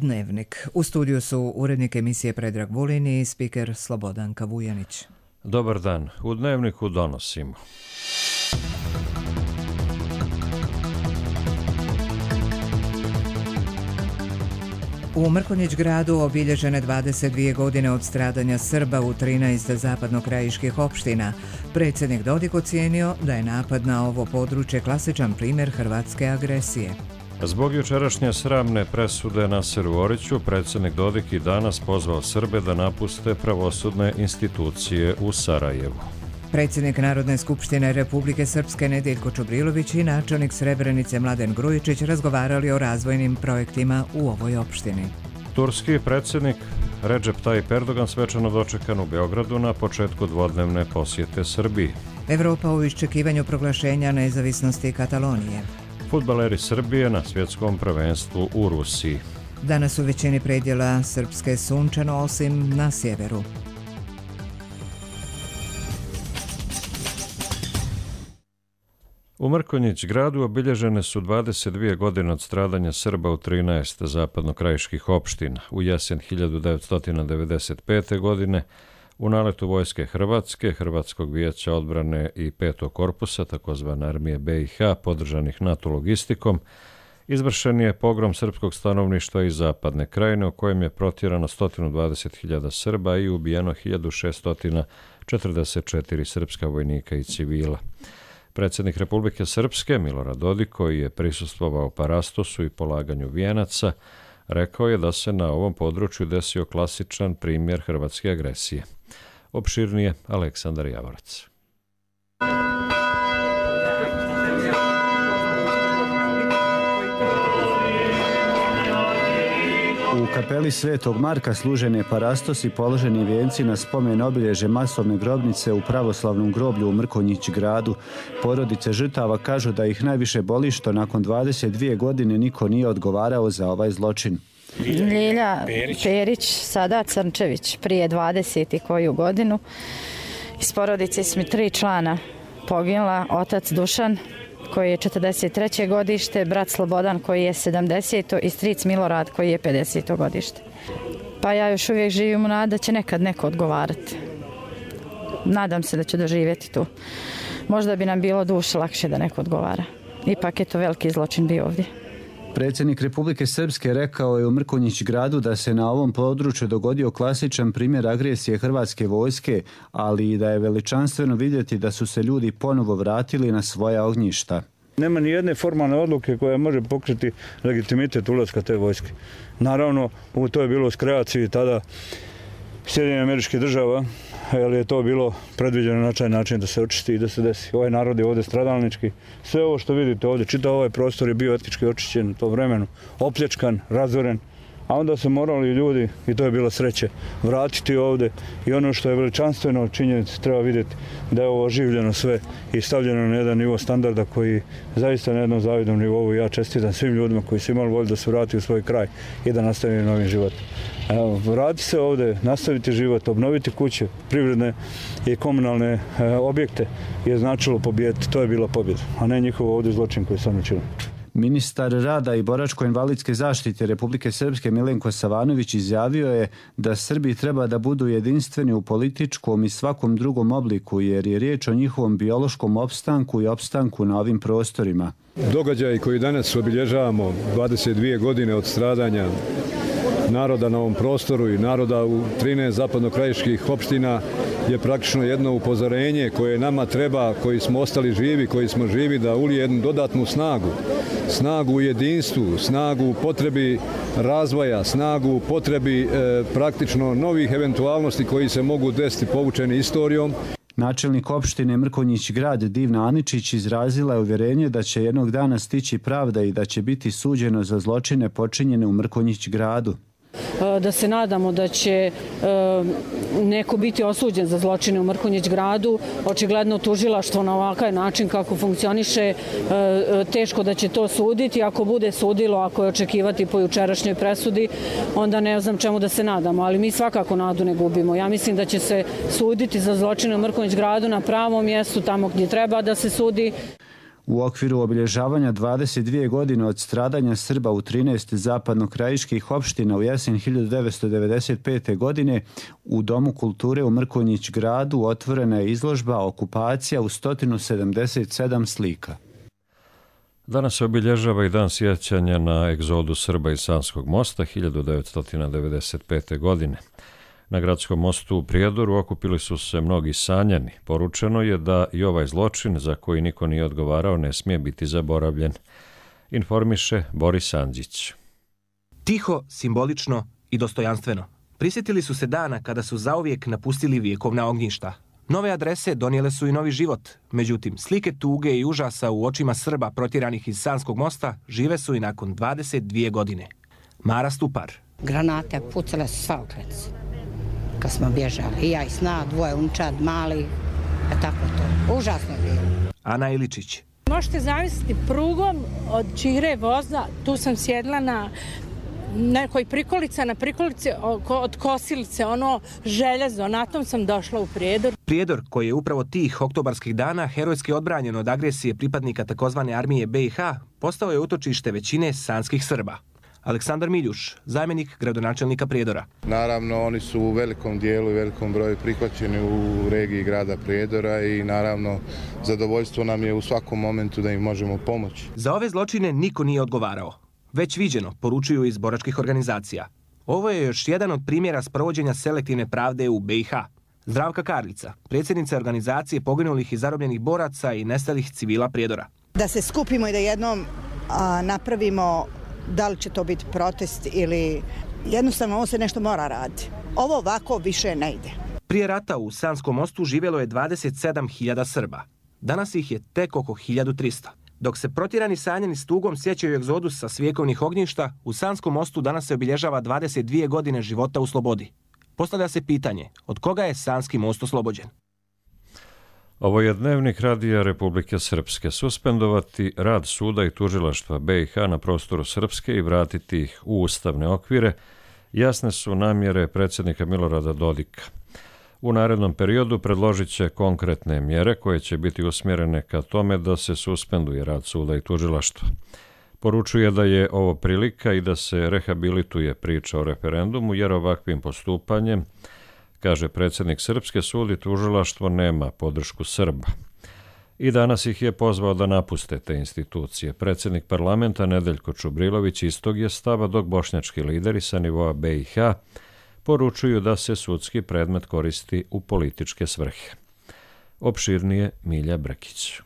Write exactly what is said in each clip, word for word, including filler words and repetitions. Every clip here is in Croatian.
Dnevnik. U studiju su urednik emisije Predrag Vulin i spiker Slobodanka Vujanić. Dobar dan. U Dnevniku donosimo. U Mrkonjić gradu obilježene dvadeset dvije godine od stradanja Srba u trinaest zapadnokrajiških opština. Predsjednik Dodik ocijenio da je napad na ovo područje klasičan primjer hrvatske agresije. Zbog jučerašnje sramne presude Naseru Oriću, predsjednik Dodik i danas pozvao Srbe da napuste pravosudne institucije u Sarajevu. Predsjednik Narodne skupštine Republike Srpske Nedjeljko Čubrilović i načelnik Srebrenice Mladen Grujičić razgovarali o razvojnim projektima u ovoj opštini. Turski predsjednik Recep Tayyip Erdogan svečano dočekan u Beogradu na početku dvodnevne posjete Srbiji. Evropa u iščekivanju proglašenja nezavisnosti Katalonije. Fudbaleri Srbije na svjetskom prvenstvu u Rusiji. Danas u većini predjela Srpske sunčano, osim na sjeveru. U Mrkonjić gradu obilježene su dvadeset dvije godine od stradanja Srba u trinaest zapadnokrajiških opština. U jesen hiljadu devetsto devedeset pete. godine u naletu vojske Hrvatske, Hrvatskog vijeća odbrane i petog korpusa, takozvane armije B i H, podržanih NATO logistikom, izvršen je pogrom srpskog stanovništva iz zapadne krajine, u kojem je protjerano sto dvadeset hiljada Srba i ubijeno hiljadu šeststo četrdeset četiri srpska vojnika i civila. Predsjednik Republike Srpske Milorad Dodik, koji je prisustvovao parastosu i polaganju vijenaca, rekao je da se na ovom području desio klasičan primjer hrvatske agresije. Opširnije Aleksandar Javorac. U kapeli Svetog Marka služen je parastos i položeni vijenci na spomen obilježje masovne grobnice u pravoslavnom groblju u Mrkonjić gradu. Porodice žrtava kažu da ih najviše boli što nakon dvadeset dvije godine niko nije odgovarao za ovaj zločin. Ljilja Perić, Perić sada Crnčević, prije dvadeset i koju godinu. Iz porodice smo tri člana poginula, otac Dušan, koji je četrdeset treće godište, brat Slobodan koji je sedamdeseto i stric Milorad koji je pedeseto godište. Pa ja još uvijek živim u nadi da će nekad neko odgovarati. Nadam se da će doživjeti tu. Možda bi nam bilo duše lakše da neko odgovara. Ipak je to veliki zločin bio ovdje. Predsjednik Republike Srpske rekao je u Mrkonjić gradu da se na ovom području dogodio klasičan primjer agresije hrvatske vojske, ali i da je veličanstveno vidjeti da su se ljudi ponovo vratili na svoja ognjišta. Nema ni jedne formalne odluke koja može pokriti legitimitet ulaska te vojske. Naravno, to je bilo u kreaciji tada Sjedinjenih Američkih Država, jer je to bilo predviđeno na taj način da se očisti i da se desi. Ovaj narod je ovdje stradalnički. Sve ovo što vidite ovdje, čitav ovaj prostor je bio etnički očišćen u tom vremenu, opljačkan, razoren, a onda su morali ljudi, i to je bilo sreće, vratiti ovdje. I ono što je veličanstveno činjenice treba vidjeti da je ovo oživljeno sve i stavljeno na jedan nivo standarda koji zaista na jednom zavidnom nivou. Ja čestitam svim ljudima koji su imali volju da se vrati u svoj kraj i da nastavi novim životom. Evo, vrati se ovdje, nastaviti život, obnoviti kuće, privredne i komunalne e, objekte je značilo pobijediti. To je bila pobjeda, a ne njihov ovdje zločin koji sam učinio. Ministar rada i boračko-invalidske zaštite Republike Srpske Milenko Savanović izjavio je da Srbi treba da budu jedinstveni u političkom i svakom drugom obliku, jer je riječ o njihovom biološkom opstanku i opstanku na ovim prostorima. Događaj koji danas obilježavamo, dvadeset dvije godine od stradanja naroda na ovom prostoru i naroda u trinaest zapadnokrajiških opština, je praktično jedno upozorenje koje nama treba, koji smo ostali živi, koji smo živi, da ulije jednu dodatnu snagu. Snagu u jedinstvu, snagu u potrebi razvoja, snagu u potrebi e, praktično novih eventualnosti koji se mogu desiti povučeni istorijom. Načelnik opštine Mrkonjić grad Divna Aničić izrazila je uvjerenje da će jednog dana stići pravda i da će biti suđeno za zločine počinjene u Mrkonjić gradu. Da se nadamo da će neko biti osuđen za zločine u Mrkonjić gradu. Očigledno tužilaštvo na ovakav način kako funkcioniše, teško da će to suditi. Ako bude sudilo, ako je očekivati po jučerašnjoj presudi, onda ne znam čemu da se nadamo, ali mi svakako nadu ne gubimo. Ja mislim da će se suditi za zločine u Mrkonjić gradu na pravom mjestu, tamo gdje treba da se sudi. U okviru obilježavanja dvadeset dvije godine od stradanja Srba u trinaest zapadnokrajiških opština u jesen hiljadu devetsto devedeset pete. godine u Domu kulture u Mrkonjić gradu otvorena je izložba Okupacija u sto sedamdeset sedam slika. Danas se obilježava i dan sjećanja na egzodu Srba iz Sanskog mosta hiljadu devetsto devedeset pete. godine. Na gradskom mostu u Prijedoru okupili su se mnogi sanjani. Poručeno je da i ovaj zločin za koji niko nije odgovarao ne smije biti zaboravljen. Informiše Boris Andžić. Tiho, simbolično i dostojanstveno. Prisjetili su se dana kada su zauvijek napustili vjekovna ognjišta. Nove adrese donijele su i novi život. Međutim, slike tuge i užasa u očima Srba protjeranih iz Sanskog mosta žive su i nakon dvadeset dvije godine. Mara Stupar. Granate pucale su svaokrec kad smo bježali. I ja i sna, dvoje unčad, mali, a tako to. Užasno je bilo. Ana Iličić. Možete zamisliti prugom od Čihre voza, tu sam sjedla na nekoj prikolica, na prikolici od kosilice, ono željezo, na tom sam došla u Prijedor. Prijedor, koji je upravo tih oktobarskih dana herojski odbranjen od agresije pripadnika takozvane armije B i H, postao je utočište većine sanskih Srba. Aleksandar Miljuš, zamjenik gradonačelnika Prijedora. Naravno, oni su u velikom dijelu i velikom broju prihvaćeni u regiji grada Prijedora i naravno zadovoljstvo nam je u svakom momentu da im možemo pomoći. Za ove zločine niko nije odgovarao. Već viđeno, poručuju iz boračkih organizacija. Ovo je još jedan od primjera sprovođenja selektivne pravde u B i H. Zdravka Karlica, predsjednica organizacije poginulih i zarobljenih boraca i nestalih civila Prijedora. Da se skupimo i da jednom a, napravimo, da li će to biti protest ili jednostavno ovo se nešto mora raditi. Ovo ovako više ne ide. Prije rata u Sanskom mostu živjelo je dvadeset sedam hiljada Srba. Danas ih je tek oko hiljadu trista. Dok se protjerani sanjani s tugom sjećaju egzodusa s vjekovnih ognjišta, u Sanskom mostu danas se obilježava dvadeset dvije godine života u slobodi. Postavlja se pitanje, od koga je Sanski most oslobođen? Ovo je dnevnik Radija Republike Srpske. Suspendovati rad suda i tužilaštva B i H na prostoru Srpske i vratiti ih u ustavne okvire jasne su namjere predsjednika Milorada Dodika. U narednom periodu predložit će konkretne mjere koje će biti usmjerene ka tome da se suspenduje rad suda i tužilaštva. Poručuje da je ovo prilika i da se rehabilituje priča o referendumu, jer ovakvim postupanjem, kaže predsjednik Srpske, sud i tužilaštvo nema podršku Srba. I danas ih je pozvao da napuste te institucije. Predsjednik parlamenta Nedeljko Čubrilović istog je stava, dok bošnjački lideri sa nivoa B i H poručuju da se sudski predmet koristi u političke svrhe. Opširnije Milja Brkić.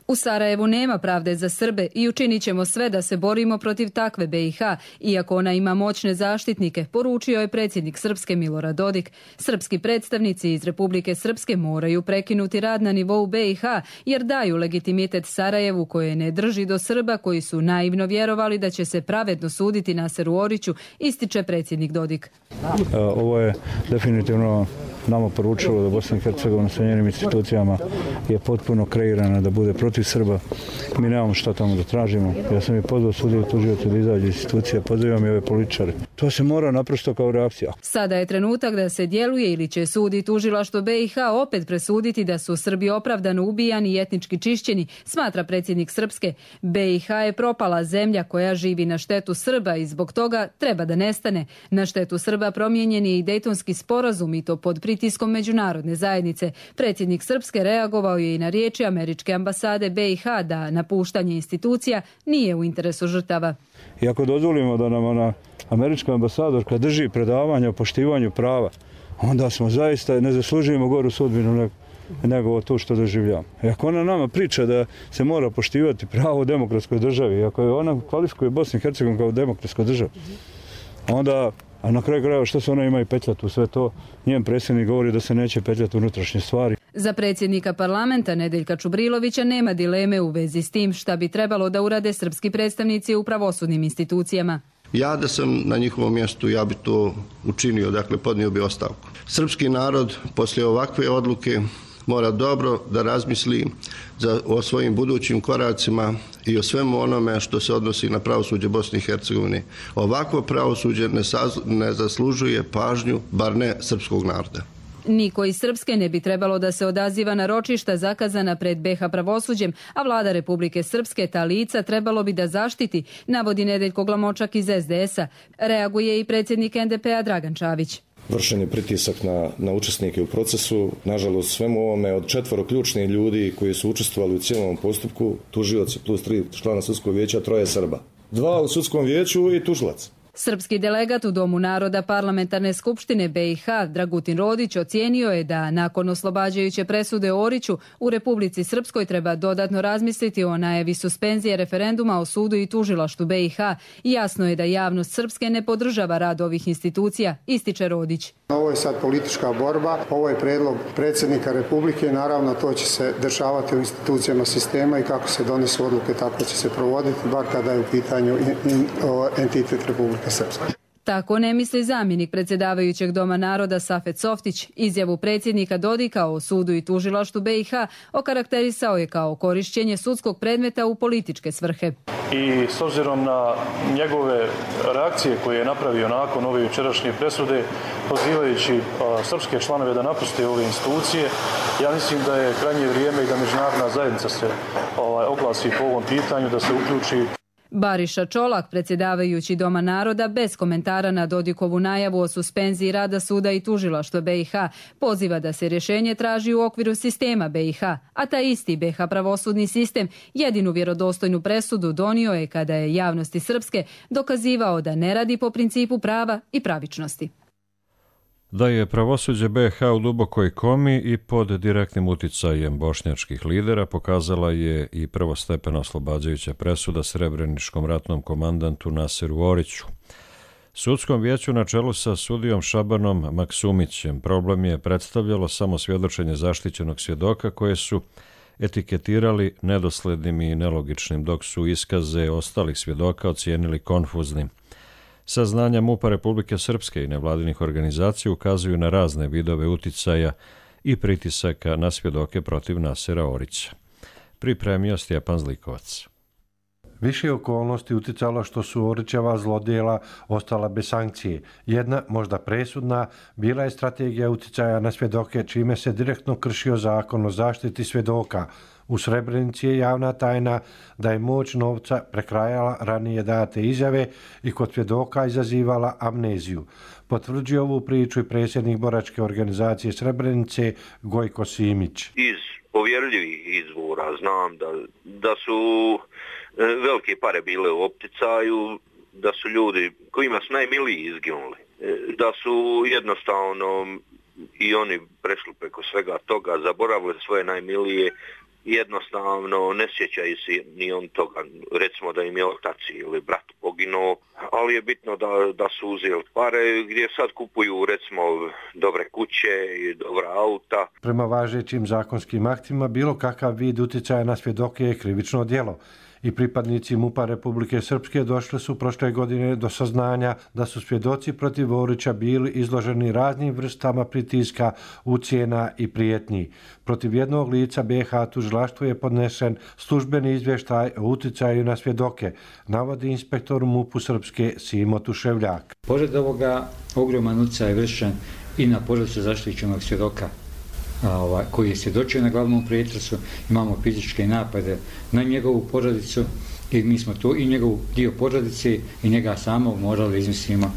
U Sarajevu nema pravde za Srbe i učinit ćemo sve da se borimo protiv takve B i H, iako ona ima moćne zaštitnike, poručio je predsjednik Srpske Milorad Dodik. Srpski predstavnici iz Republike Srpske moraju prekinuti rad na nivou B i H, jer daju legitimitet Sarajevu koje ne drži do Srba koji su naivno vjerovali da će se pravedno suditi Naseru Oriću, ističe predsjednik Dodik. Ovo je definitivno nama poručilo da Bosna i Hercegovina sa njenim institucijama je potpuno kreirana da bude protiv Srba. Mi nemamo šta tamo da tražimo. Ja sam i pozvao sudiju tužioca da izađe iz institucija, pozivam i ove političare. To se mora naprosto kao reakcija. Sada je trenutak da se djeluje ili će sud i tužilaštvo B i H opet presuditi da su Srbi opravdano ubijani i etnički čišćeni, smatra predsjednik Srpske. B i H je propala zemlja koja živi na štetu Srba i zbog toga treba da nestane. Na štetu Srba promijenjen je i Dejtonski sporazum i to pod pritiskom međunarodne zajednice. Predsjednik Srpske reagovao je i na riječi američke ambasade B i H da napuštanje institucija nije u interesu žrtava. I ako dozvolimo da nam ona američka ambasadorka drži predavanje o poštivanju prava, onda smo zaista ne zaslužujemo goru sudbinu nego, nego to što doživljamo. I ako ona nama priča da se mora poštivati pravo u demokratskoj državi, ako je ona kvalifikuje Bosnu i Hercegovinu kao demokratsku državu, onda, a na kraju krajeva što se ona ima i petljati u sve to, njen predsjednik govori da se neće petljati unutrašnje stvari. Za predsjednika parlamenta Nedeljka Čubrilovića nema dileme u vezi s tim šta bi trebalo da urade srpski predstavnici u pravosudnim institucijama. Ja da sam na njihovom mjestu, ja bi to učinio, dakle podnio bi ostavku. Srpski narod poslije ovakve odluke mora dobro da razmisli za, o svojim budućim koracima i o svemu onome što se odnosi na pravosuđe Bosne i Hercegovine. Ovakvo pravosuđe ne, saz, ne zaslužuje pažnju, bar ne srpskog naroda. Niko iz Srpske ne bi trebalo da se odaziva na ročišta zakazana pred B H pravosuđem, a vlada Republike Srpske ta lica trebalo bi da zaštiti, navodi Nedeljko Glamočak iz S D S-a. Reaguje i predsjednik N D P-a Dragan Čavić. Vršen je pritisak na, na učesnike u procesu. Nažalost, svemu ovome od četvoro ključnih ljudi koji su učestvovali u cijelom postupku, tužioci plus tri člana sudskog vijeća, troje Srba. Dva u sudskom vijeću i tužilac. Srpski delegat u Domu naroda Parlamentarne skupštine B i H Dragutin Rodić ocijenio je da nakon oslobađajuće presude Oriću u Republici Srpskoj treba dodatno razmisliti o najavi suspenzije referenduma o sudu i tužilaštvu B i H. Jasno je da javnost Srpske ne podržava rad ovih institucija, ističe Rodić. Ovo je sad politička borba, ovo je predlog predsjednika Republike, naravno to će se dešavati u institucijama sistema i kako se donesu odluke tako će se provoditi, bar kada je u pitanju entitet Republike Srpske. Tako ne misli zamjenik predsjedavajućeg Doma naroda Safet Softić. Izjavu predsjednika Dodika o sudu i tužilaštvu B i H okarakterisao je kao korišćenje sudskog predmeta u političke svrhe. I s obzirom na njegove reakcije koje je napravio nakon ove jučerašnje presude, pozivajući a, srpske članove da napuste ove institucije, ja mislim da je krajnje vrijeme i da međunarodna zajednica se ovaj, oglasi po ovom pitanju, da se uključi. Bariša Čolak, predsjedavajući Doma naroda, bez komentara na Dodikovu najavu o suspenziji rada suda i tužilaštva B i H, poziva da se rješenje traži u okviru sistema B i H, a taj isti B H pravosudni sistem jedinu vjerodostojnu presudu donio je kada je javnosti Srpske dokazivao da ne radi po principu prava i pravičnosti. Da je pravosuđe B H u dubokoj komi i pod direktnim uticajem bošnjačkih lidera pokazala je i prvostepena oslobađajuća presuda srebreničkom ratnom komandantu Naseru Oriću. Sudskom vijeću na čelu sa sudijom Šabanom Maksumićem problem je predstavljalo samo svjedočenje zaštićenog svjedoka koje su etiketirali nedoslednim i nelogičnim, dok su iskaze ostalih svjedoka ocijenili konfuznim. Saznanja MUP-a Republike Srpske i nevladinih organizacija ukazuju na razne vidove uticaja i pritisaka na svjedoke protiv Nasera Orića. Pripremio Stjepan Zlikovac. Više okolnosti uticalo što su Orićeva zlodjela ostala bez sankcije. Jedna, možda presudna, bila je strategija uticaja na svjedoke, čime se direktno kršio zakon o zaštiti svjedoka. U Srebrenici je javna tajna da je moć novca prekrajala ranije date izjave i kod svjedoka izazivala amneziju. Potvrđuje ovu priču i predsjednik boračke organizacije Srebrenice Gojko Simić. Iz povjerljivih izvora znam da, da su velike pare bile u opticaju, da su ljudi kojima su najmiliji izginuli, da su jednostavno i oni prešli preko svega toga, zaboravili svoje najmilije, jednostavno ne sjećaju se ni on toga, recimo da im je otac ili brat poginuo, ali je bitno da, da su uzeli pare gdje sad kupuju recimo dobre kuće i dobra auta. Prema važećim zakonskim aktima bilo kakav vid uticaja na svjedoke je krivično djelo. I pripadnici MUP-a Republike Srpske došli su prošle godine do saznanja da su svjedoci protiv Orića bili izloženi raznim vrstama pritiska, ucjena i prijetnji. Protiv jednog lica B H tužilaštvu je podnesen službeni izvještaj o uticaju na svjedoke, navodi inspektor MUP-u Srpske Simo Tuševljak. Pored ovoga, ogroman utjecaj je vršen i na porodicu zaštićenog svjedoka, koji je svjedočio na glavnom pretresu. Imamo fizičke napade na njegovu porodicu i mi smo to i njegov dio porodice i njega samog morali izmislimo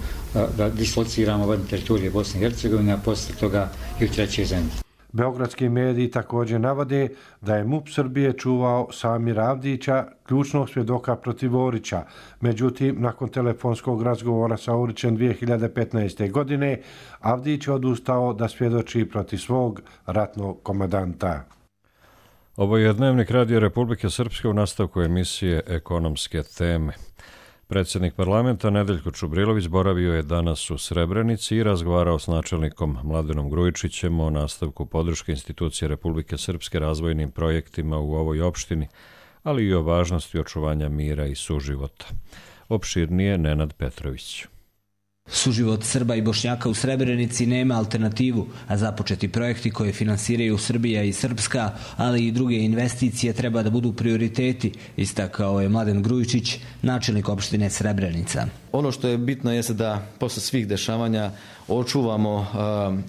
da dislociramo van teritorije Bosne i Hercegovine, a poslije toga i u treće zemlje. Beogradski mediji također navode da je MUP Srbije čuvao Samira Avdića, ključnog svjedoka protiv Orića. Međutim, nakon telefonskog razgovora sa Orićem dvije hiljade petnaeste. godine, Avdić je odustao da svjedoči protiv svog ratnog komandanta. Ovo je Dnevnik Radio Republike Srpske u nastavku emisije Ekonomske teme. Predsjednik parlamenta Nedeljko Čubrilović boravio je danas u Srebrenici i razgovarao s načelnikom Mladenom Grujičićem o nastavku podrške institucije Republike Srpske razvojnim projektima u ovoj opštini, ali i o važnosti očuvanja mira i suživota. Opširnije Nenad Petrović. Suživot Srba i Bošnjaka u Srebrenici nema alternativu, a započeti projekti koje finansiraju Srbija i Srpska, ali i druge investicije treba da budu prioriteti, istakao je Mladen Grujičić, načelnik opštine Srebrenica. Ono što je bitno jeste da posle svih dešavanja očuvamo uh,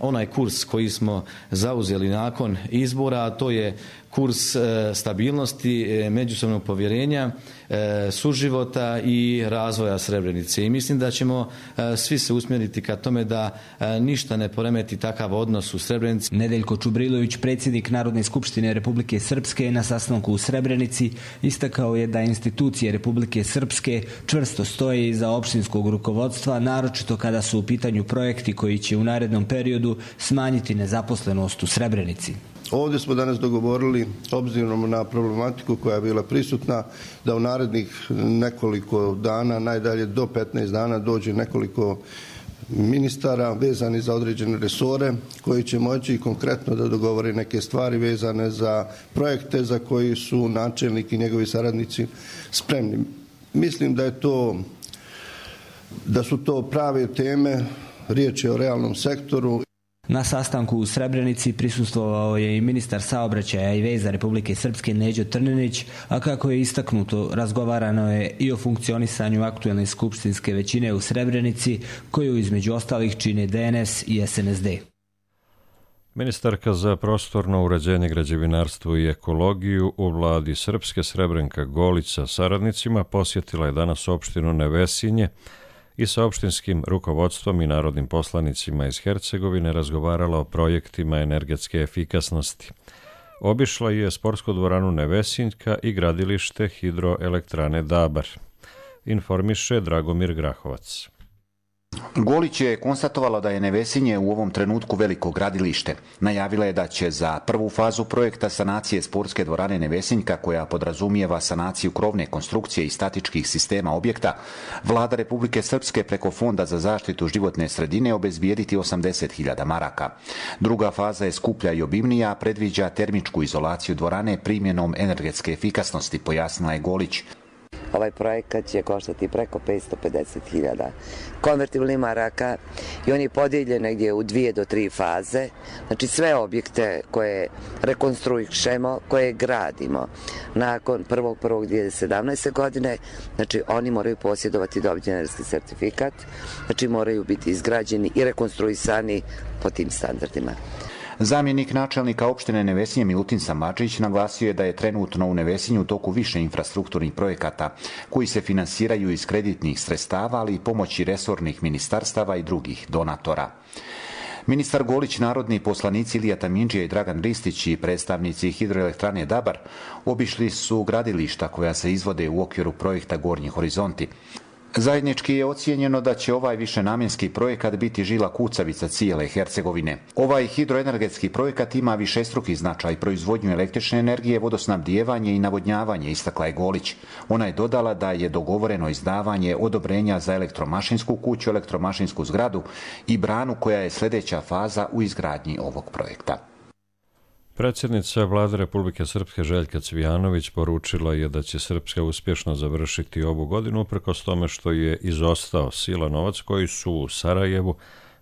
onaj kurs koji smo zauzeli nakon izbora, a to je kurs uh, stabilnosti, uh, međusobnog povjerenja, uh, suživota i razvoja Srebrenice. I mislim da ćemo uh, svi se usmjeriti ka tome da uh, ništa ne poremeti takav odnos u Srebrenici. Nedeljko Čubrilović, predsjednik Narodne skupštine Republike Srpske, na sastanku u Srebrenici istakao je da institucije Republike Srpske čvrsto stoje iza opštinskog rukovodstva, naročito kada su u pitanju projekti koji će u narednom periodu smanjiti nezaposlenost u Srebrenici. Ovdje smo danas dogovorili, obzirom na problematiku koja je bila prisutna, da u narednih nekoliko dana, najdalje do petnaest dana, dođe nekoliko ministara vezani za određene resore koji će moći konkretno da dogovore neke stvari vezane za projekte za koji su načelnik i njegovi saradnici spremni. Mislim da je to da su to prave teme, riječ je o realnom sektoru. Na sastanku u Srebrenici prisustvovao je i ministar saobraćaja i veza Republike Srpske Neđo Trninić, a kako je istaknuto, razgovarano je i o funkcionisanju aktuelne skupštinske većine u Srebrenici, koju između ostalih čine D N S i S N S D. Ministarka za prostorno uređenje, građevinarstvo i ekologiju u vladi Srpske Srebrenka Golić sa saradnicima posjetila je danas opštinu Nevesinje i sa opštinskim rukovodstvom i narodnim poslanicima iz Hercegovine razgovarala o projektima energetske efikasnosti. Obišla je sportsku dvoranu Nevesinjka i gradilište hidroelektrane Dabar. Informiše Dragomir Grahovac. Golić je konstatovala da je Nevesinje u ovom trenutku veliko gradilište. Najavila je da će za prvu fazu projekta sanacije sportske dvorane Nevesinjka, koja podrazumijeva sanaciju krovne konstrukcije i statičkih sistema objekta, vlada Republike Srpske preko Fonda za zaštitu životne sredine obezbijediti osamdeset hiljada maraka. Druga faza je skuplja i obimnija, predviđa termičku izolaciju dvorane primjenom energetske efikasnosti, pojasnila je Golić. Ovaj projekat će koštati preko petsto pedeset hiljada konvertibilnih maraka i on je podijeljen negdje u dvije do tri faze. Znači sve objekte koje rekonstruišemo, koje gradimo nakon prvog prvog dvije hiljade sedamnaeste. godine, znači oni moraju posjedovati dobiti energetski sertifikat, znači moraju biti izgrađeni i rekonstruisani po tim standardima. Zamjenik načelnika opštine Nevesinje Milutin Samardžić naglasio je da je trenutno u Nevesinju u toku više infrastrukturnih projekata koji se finansiraju iz kreditnih sredstava, ali i pomoći resornih ministarstava i drugih donatora. Ministar Golić, narodni poslanici Ilija Tamindžija i Dragan Ristić i predstavnici hidroelektrane Dabar obišli su gradilišta koja se izvode u okviru projekta Gornji horizonti. Zajednički je ocijenjeno da će ovaj višenamjenski projekat biti žila kucavica cijele Hercegovine. Ovaj hidroenergetski projekat ima višestruki značaj, proizvodnju električne energije, vodosnabdijevanje i navodnjavanje, istakla je Golić. Ona je dodala da je dogovoreno izdavanje odobrenja za elektromašinsku kuću, elektromašinsku zgradu i branu, koja je sljedeća faza u izgradnji ovog projekta. Predsjednica vlade Republike Srpske Željka Cvijanović poručila je da će Srpska uspješno završiti ovu godinu uprkos tome što je izostao sila novac koji su u Sarajevu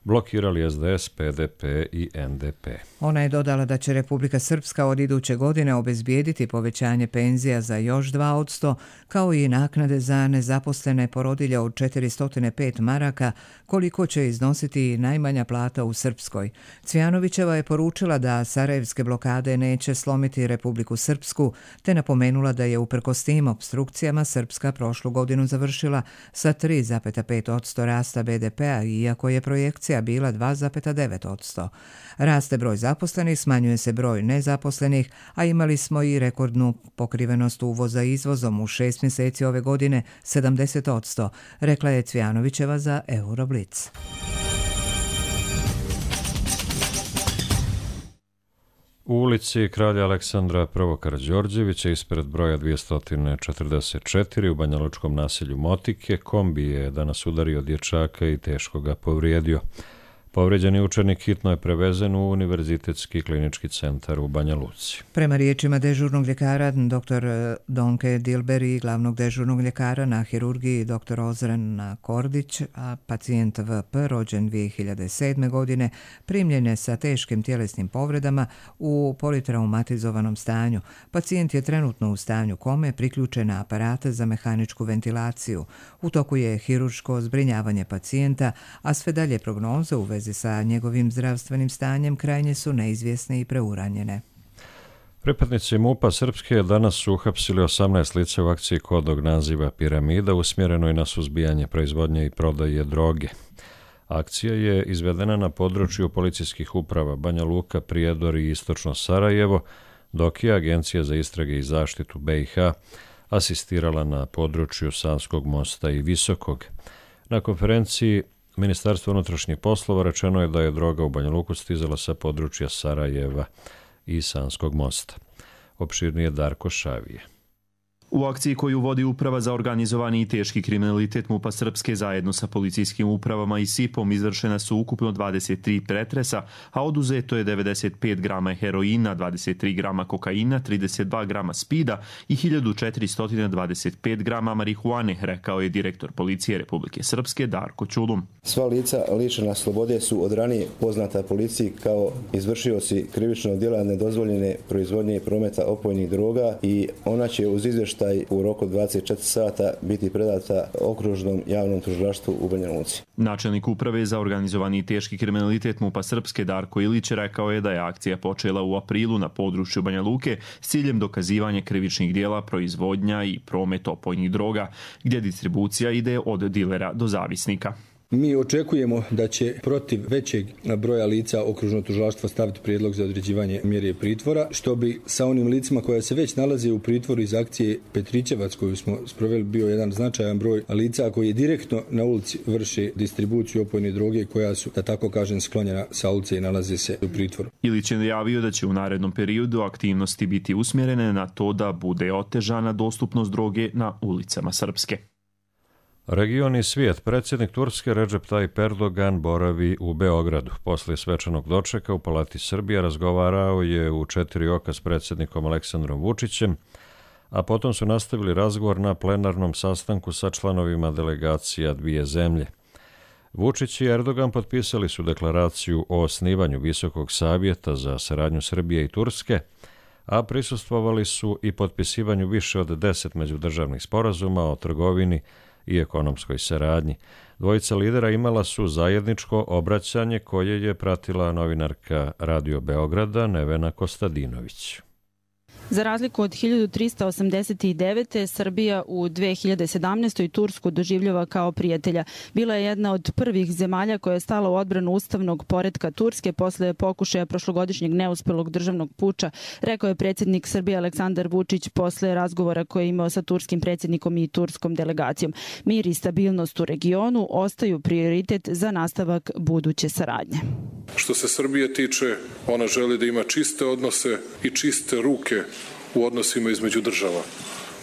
blokirali S D S, P D P i N D P. Ona je dodala da će Republika Srpska od iduće godine obezbijediti povećanje penzija za još dva posto, kao i naknade za nezaposlene porodilje od četiristo pet maraka, koliko će iznositi najmanja plata u Srpskoj. Cvijanovićeva je poručila da sarajevske blokade neće slomiti Republiku Srpsku, te napomenula da je uprkos tim opstrukcijama Srpska prošlu godinu završila sa tri zarez pet posto rasta B D P-a, iako je projekcija bila dva zarez devet posto. Raste broj zaposlenih, smanjuje se broj nezaposlenih, a imali smo i rekordnu pokrivenost uvoza izvozom u šest mjeseci ove godine, sedamdeset posto, rekla je Cvijanovićeva za Euroblic. U ulici Kralja Aleksandra I. Karađorđevića ispred broja dvjesto četrdeset četiri u banjalučkom naselju Motike kombi je danas udario dječaka i teško ga povrijedio. Povređeni učenik hitno je prevezen u Univerzitetski klinički centar u Banja Luci. Prema riječima dežurnog ljekara dr. Donke Dilber i glavnog dežurnog ljekara na hirurgiji dr. Ozren Kordić, a pacijent V P rođen dvije hiljade sedme. godine primljen je sa teškim tjelesnim povredama u politraumatizovanom stanju. Pacijent je trenutno u stanju kome, priključen na aparate za mehaničku ventilaciju. U toku je hirurško zbrinjavanje pacijenta, a sve dalje prognoze u vezi sa njegovim zdravstvenim stanjem krajnje su neizvjesne i preuranjene. Pripadnici MUP-a Srpske danas su uhapsili osamnaest lica u akciji kodnog naziva Piramida usmjerenoj na suzbijanje proizvodnje i prodaje droge. Akcija je izvedena na području policijskih uprava Banja Luka, Prijedor i Istočno Sarajevo, dok je Agencija za istrage i zaštitu B i H asistirala na području Sanskog mosta i Visokog. Na konferenciji Ministarstvo unutrašnjih poslova rečeno je da je droga u Banja Luku stizala sa područja Sarajeva i Sanskog mosta. Opširnije Darko Šavije. U akciji koju vodi Uprava za organizovani i teški kriminalitet MUP-a Srpske zajedno sa policijskim upravama i S I P-om izvršena su ukupno dvadeset tri pretresa, a oduzeto je devedeset pet grama heroina, dvadeset tri grama kokaina, trideset dva grama spida i hiljadu četiristo dvadeset pet grama marihuane, rekao je direktor policije Republike Srpske Darko Ćulum. Sva lica lišena slobode su od ranije poznata policiji kao izvršioci krivičnog djela nedozvoljene proizvodnje i prometa opojnih droga i ona će uz izvještaj u roku dvadeset četiri sata biti predata okružnom javnom tužilaštvu u Banja Luci. Načelnik Uprave za organizovani i teški kriminalitet MUP-a Srpske Darko Ilić rekao je da je akcija počela u aprilu na području Banja Luke s ciljem dokazivanja krivičnih djela, proizvodnja i promet opojnih droga, gdje distribucija ide od dilera do zavisnika. Mi očekujemo da će protiv većeg broja lica okružno tužilaštvo staviti prijedlog za određivanje mjere pritvora, što bi sa onim licima koja se već nalaze u pritvoru iz akcije Petrićevac koju smo sproveli bio jedan značajan broj lica koji je direktno na ulici vrše distribuciju opojne droge koja su, da tako kažem, sklonjena sa ulice i nalaze se u pritvoru. Ilić je najavio da će u narednom periodu aktivnosti biti usmjerene na to da bude otežana dostupnost droge na ulicama Srpske. Region i svijet. Predsjednik Turske Recep Tayyip Erdogan boravi u Beogradu. Poslije svečanog dočeka u Palati Srbija razgovarao je u četiri oka s predsjednikom Aleksandrom Vučićem, a potom su nastavili razgovor na plenarnom sastanku sa članovima delegacija dvije zemlje. Vučić i Erdogan potpisali su deklaraciju o osnivanju Visokog savjeta za saradnju Srbije i Turske, a prisustvovali su i potpisivanju više od deset međudržavnih sporazuma o trgovini i ekonomskoj saradnji. Dvojica lidera imala su zajedničko obraćanje koje je pratila novinarka Radio Beograda Nevena Kostadinović. Za razliku od hiljadu trista osamdeset devete. Srbija u dve hiljade sedamnaestoj. Tursku doživljava kao prijatelja. Bila je jedna od prvih zemalja koja je stala u odbranu ustavnog poretka Turske posle pokušaja prošlogodišnjeg neuspelog državnog puča, rekao je predsjednik Srbije Aleksandar Vučić posle razgovora koje je imao sa turskim predsjednikom i turskom delegacijom. Mir i stabilnost u regionu ostaju prioritet za nastavak buduće saradnje. Što se Srbije tiče, ona želi da ima čiste odnose i čiste ruke u odnosima između država.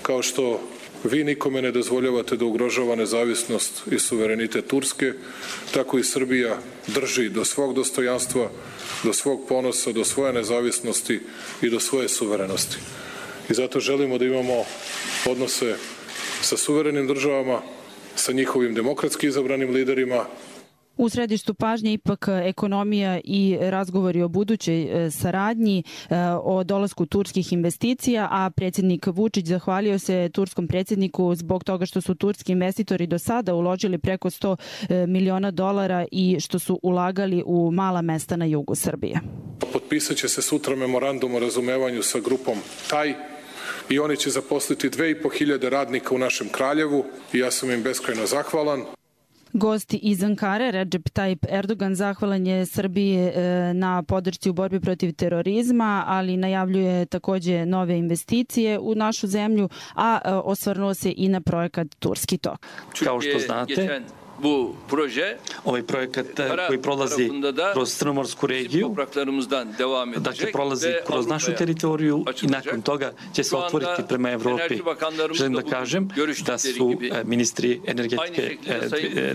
Kao što vi nikome ne dozvoljavate da ugrožava nezavisnost i suverenitet Turske, tako i Srbija drži do svog dostojanstva, do svog ponosa, do svoje nezavisnosti i do svoje suverenosti. I zato želimo da imamo odnose sa suverenim državama, sa njihovim demokratski izabranim liderima. U središtu pažnje ipak ekonomija i razgovori o budućoj saradnji, o dolasku turskih investicija, a predsjednik Vučić zahvalio se turskom predsjedniku zbog toga što su turski investitori do sada uložili preko sto miliona dolara i što su ulagali u mala mesta na jugu Srbije. Potpisat će se sutra memorandum o razumevanju sa grupom Taj i oni će zaposliti dve i po hiljade radnika u našem Kraljevu i ja sam im beskrajno zahvalan. Gost iz Ankare, Recep Tayyip Erdogan, zahvalan je Srbiji na podršci u borbi protiv terorizma, ali najavljuje također nove investicije u našu zemlju, a osvrnuo se i na projekat Turski tok. Kao što znate, ovaj projekat koji prolazi kroz Crnomorsku regiju, dakle prolazi kroz našu teritoriju i nakon toga će se otvoriti prema Evropi. Želim da kažem da su ministri energetike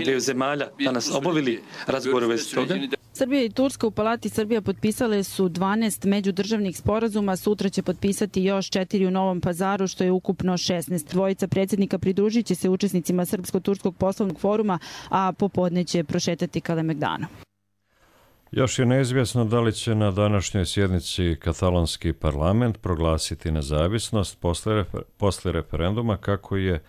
dveju zemalja danas obavili razgovore u vezi toga. Srbija i Turska u Palati Srbija potpisale su dvanaest međudržavnih sporazuma, sutra će potpisati još četiri u Novom Pazaru, što je ukupno šesnaest. Dvojica predsjednika pridružit će se učesnicima Srpsko-Turskog poslovnog foruma, a popodne će prošetati Kalemegdanom. Još je neizvjesno da li će na današnjoj sjednici katalonski parlament proglasiti nezavisnost posle, posle referenduma, kako je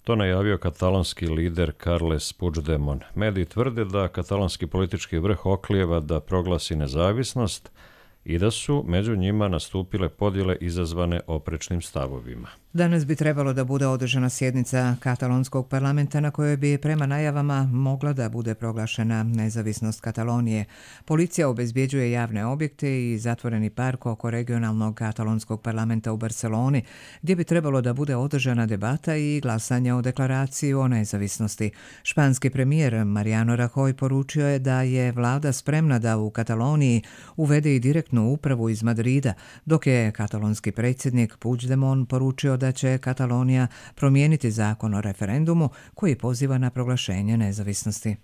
to najavio katalonski lider Carles Puigdemont. Mediji tvrde da katalonski politički vrh oklijeva da proglasi nezavisnost i da su među njima nastupile podjele izazvane oprečnim stavovima. Danas bi trebalo da bude održana sjednica katalonskog parlamenta na kojoj bi prema najavama mogla da bude proglašena nezavisnost Katalonije. Policija obezbjeđuje javne objekte i zatvoreni park oko regionalnog katalonskog parlamenta u Barceloni, gdje bi trebalo da bude održana debata i glasanje o deklaraciji o nezavisnosti. Španski premijer Mariano Rajoy poručio je da je vlada spremna da u Kataloniji uvede i direktnu upravu iz Madrida, dok je katalonski predsjednik Puigdemont poručio da da će Katalonija promijeniti zakon o referendumu koji poziva na proglašenje nezavisnosti.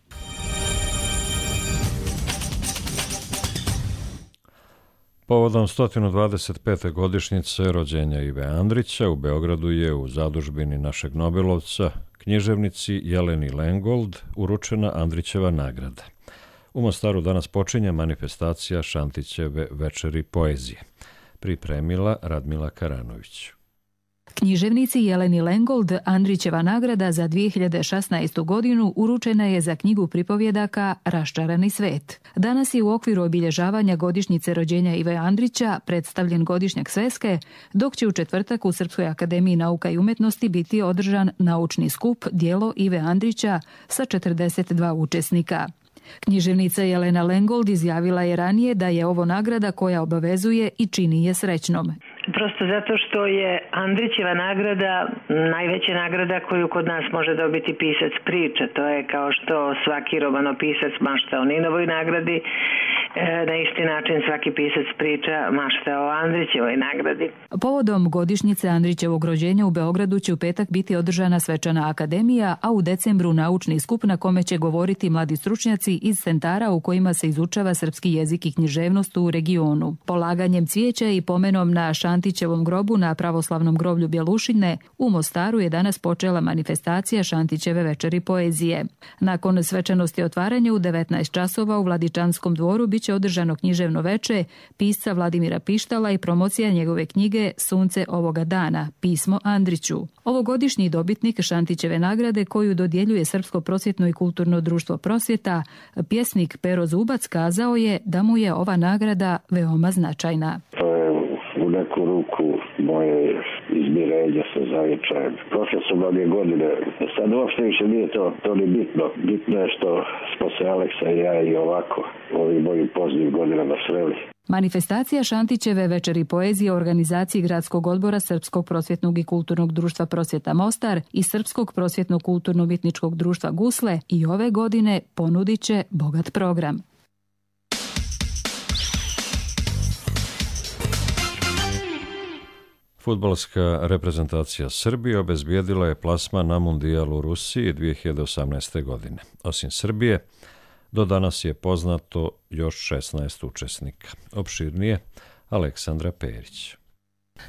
Povodom sto dvadeset pete godišnjice rođenja Ive Andrića u Beogradu je u zadužbini našeg Nobelovca, književnici Jeleni Lengold, uručena Andrićeva nagrada. U Mostaru danas počinje manifestacija Šantićeve večeri poezije. Pripremila Radmila Karanović. Književnici Jeleni Lengold Andrićeva nagrada za dvije hiljade šesnaestu godinu uručena je za knjigu pripovjedaka Raščarani svet. Danas je u okviru obilježavanja godišnjice rođenja Ive Andrića predstavljen godišnjak sveske, dok će u četvrtak u Srpskoj akademiji nauka i umjetnosti biti održan naučni skup Djelo Ive Andrića sa četrdeset dva učesnika. Književnica Jelena Lengold izjavila je ranije da je ovo nagrada koja obavezuje i čini je srećnom. Prosto zato što je Andrićeva nagrada najveća nagrada koju kod nas može dobiti pisac priča. To je kao što svaki romanopisac mašta o Ninovoj nagradi, na isti način svaki pisac priča mašta o Andrićevoj nagradi. Povodom godišnjice Andrićevog rođenja u Beogradu će u petak biti održana svečana akademija, a u decembru naučni skup na kome će govoriti mladi stručnjaci iz centara u kojima se izučava srpski jezik i književnost u regionu. Polaganjem cvijeća i pomenom na Šantićevom grobu na pravoslavnom groblju Bjelušine u Mostaru je danas počela manifestacija Šantićeve večeri poezije. Nakon svečanosti otvaranja u devetnaest časova u Vladičanskom dvoru biće održano književno veče pisca Vladimira Pištala i promocija njegove knjige Sunce ovoga dana, pismo Andriću. Ovogodišnji dobitnik Šantićeve nagrade koju dodjeljuje Srpsko prosvjetno i kulturno društvo Prosvjeta, pjesnik Pero Zubac, kazao je da mu je ova nagrada veoma značajna. To je u neku ruku moje izmirenje sa zavičajem. Prošle su mnoge godine. Sad uopšte više nije to, to ni bitno. Bitno je što smo se Aleksa i ja i ovako ovim mojim poznim godinama sreli. Manifestacija Šantićeve večeri poezije u organizaciji Gradskog odbora Srpskog prosvjetnog i kulturnog društva Prosvjeta Mostar i Srpskog prosvjetnog kulturno-umjetničkog društva Gusle i ove godine ponudit će bogat program. Fudbalska reprezentacija Srbije obezbijedila je plasman na Mundijal u Rusiji dvije hiljade osamnaeste. godine. Osim Srbije, do danas je poznato još šesnaest učesnika. Opširnije, Aleksandra Perić.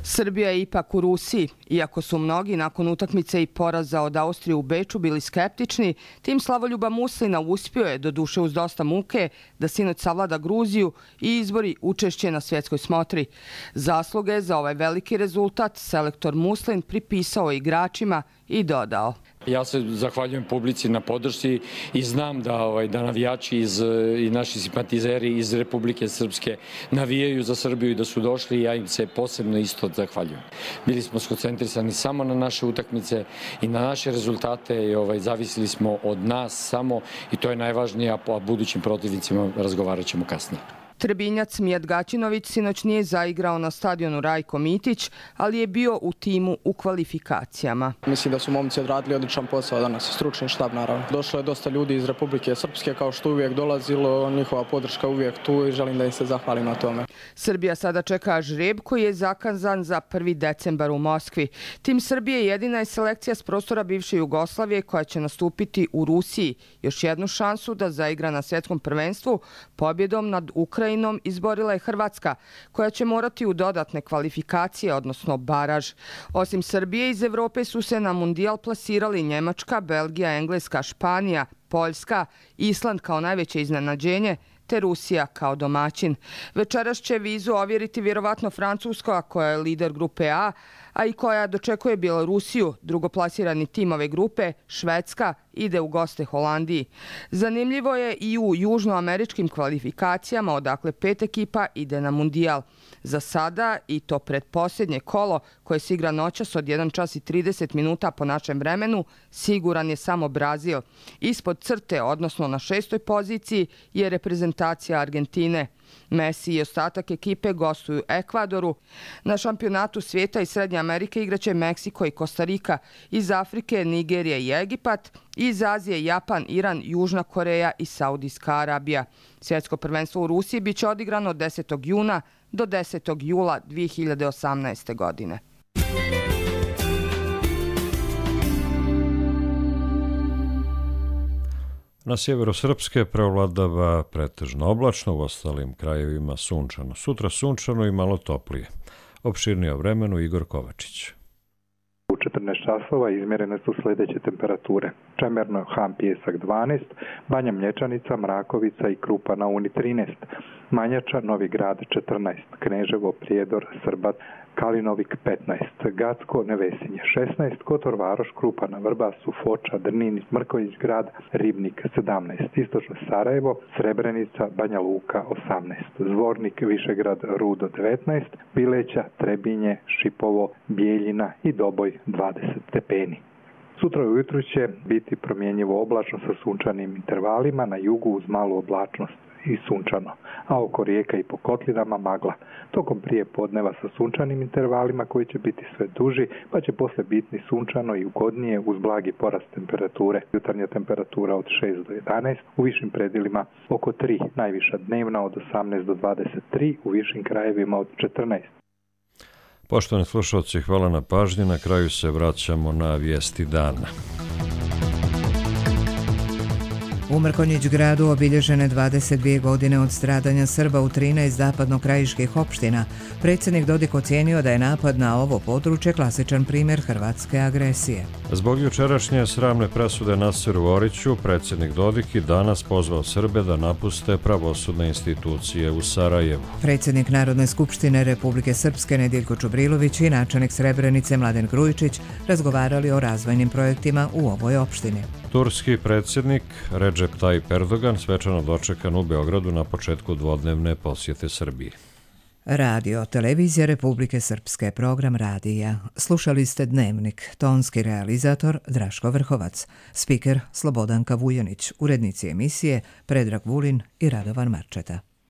Srbija je ipak u Rusiji. Iako su mnogi nakon utakmice i poraza od Austrije u Beču bili skeptični, tim Slavoljuba Muslina uspio je, doduše uz dosta muke, da sinoć savlada Gruziju i izbori učešće na svjetskoj smotri. Zasluge za ovaj veliki rezultat selektor Muslin pripisao igračima i dodao: Ja se zahvaljujem publici na podršci i znam da, ovaj, da navijači iz, i naši simpatizeri iz Republike Srpske navijaju za Srbiju i da su došli i ja im se posebno isto zahvaljujem. Bili smo skoncentrisani samo na naše utakmice i na naše rezultate i ovaj, zavisili smo od nas samo i to je najvažnije, a po budućim protivnicima razgovarat ćemo kasnije. Trebinjac Mijat Gaćinović sinoć nije zaigrao na stadionu Rajko Mitić, ali je bio u timu u kvalifikacijama. Mislim da su momci odradili odličan posao danas, stručni štab naravno. Došlo je dosta ljudi iz Republike Srpske, kao što uvijek dolazilo, njihova podrška uvijek tu i želim da im se zahvalim na tome. Srbija sada čeka žreb koji je zakazan za prvi decembar u Moskvi. Tim Srbije jedina je selekcija s prostora bivše Jugoslavije koja će nastupiti u Rusiji. Još jednu šansu da zaigra na svjetskom prvenstvu pobjedom nad Ukrajinom izborila je Hrvatska, koja će morati u dodatne kvalifikacije, odnosno baraž. Osim Srbije, iz Evrope su se na mundijal plasirali Njemačka, Belgija, Engleska, Španija, Poljska, Island kao najveće iznenađenje, te Rusija kao domaćin. Večeras će vizu ovjeriti vjerovatno Francuska, koja je lider grupe A, a i koja dočekuje Bjelorusiju. Drugoplasirani tim ove grupe, Švedska, ide u goste Holandiji. Zanimljivo je i u južnoameričkim kvalifikacijama, odakle pet ekipa ide na mundijal. Za sada, i to predposljednje kolo, koje se igra noćas od jedan čas i trideset minuta po našem vremenu, siguran je samo Brazil. Ispod crte, odnosno na šestoj poziciji, je reprezentacija Argentine. Messi i ostatak ekipe gostuju Ekvadoru. Na šampionatu svijeta i Srednje Amerike igraće Meksiko i Kostarika. Iz Afrike Nigerija i Egipat. Iz Azije Japan, Iran, Južna Koreja i Saudijska Arabija. Svjetsko prvenstvo u Rusiji biće odigrano od desetog juna do desetog jula dvije hiljade osamnaeste. godine. Na sjeveru Srpske prevladava pretežno oblačno, u ostalim krajevima sunčano. Sutra sunčano i malo toplije. Opširnije o vremenu Igor Kovačić. U četrnaest časova izmjerene su sljedeće temperature. Čemerno, Han Pijesak dvanaest, Banja Mlječanica, Mrakovica i Krupa na Uni trinaest, Manjača, Novi Grad četrnaest, Kneževo, Prijedor, Srbat, Kalinovik petnaest, Gacko, Nevesinje šesnaest, Kotor Varoš, Krupa na Vrbasu, Foča, Drnin, Mrković Grad, Ribnik sedamnaest, Istočno Sarajevo, Srebrenica, Banja Luka osamnaest, Zvornik, Višegrad, Rudo devetnaest, Bileća, Trebinje, Šipovo, Bijeljina i Doboj dvadeset stepeni. Sutra ujutru će biti promjenjivo oblačno sa sunčanim intervalima, na jugu uz malu oblačnost i sunčano, a oko rijeka i po kotlinama magla. Tokom prije podneva sa sunčanim intervalima koji će biti sve duži, pa će posle biti sunčano i ugodnije uz blagi porast temperature. Jutarnja temperatura od šest do jedanaest, u višim predjelima oko tri, najviša dnevna od osamnaest do dvadeset tri, u višim krajevima od četrnaest. Poštovani slušalci, hvala na pažnji. Na kraju se vraćamo na vijesti dana. U Mrkonjić gradu obilježene dvadeset dvije godine od stradanja Srba u trinaest zapadnokrajiških opština. Predsjednik Dodik ocijenio da je napad na ovo područje klasičan primjer hrvatske agresije. Zbog jučerašnje sramne presude Nasiru Oriću, predsjednik Dodik i danas pozvao Srbe da napuste pravosudne institucije u Sarajevu. Predsjednik Narodne skupštine Republike Srpske Nediljko Čubrilović i načelnik Srebrenice Mladen Grujičić razgovarali o razvojnim projektima u ovoj opštini. Turski predsjednik Recep Tayyip Erdogan svečano dočekan u Beogradu na početku dvodnevne posjete Srbiji. Radio, televizija Republike Srpske, program radija. Slušali ste Dnevnik, tonski realizator Draško Vrhovac, spiker Slobodanka Vujanić, urednici emisije Predrag Vulin i Radovan Marčeta.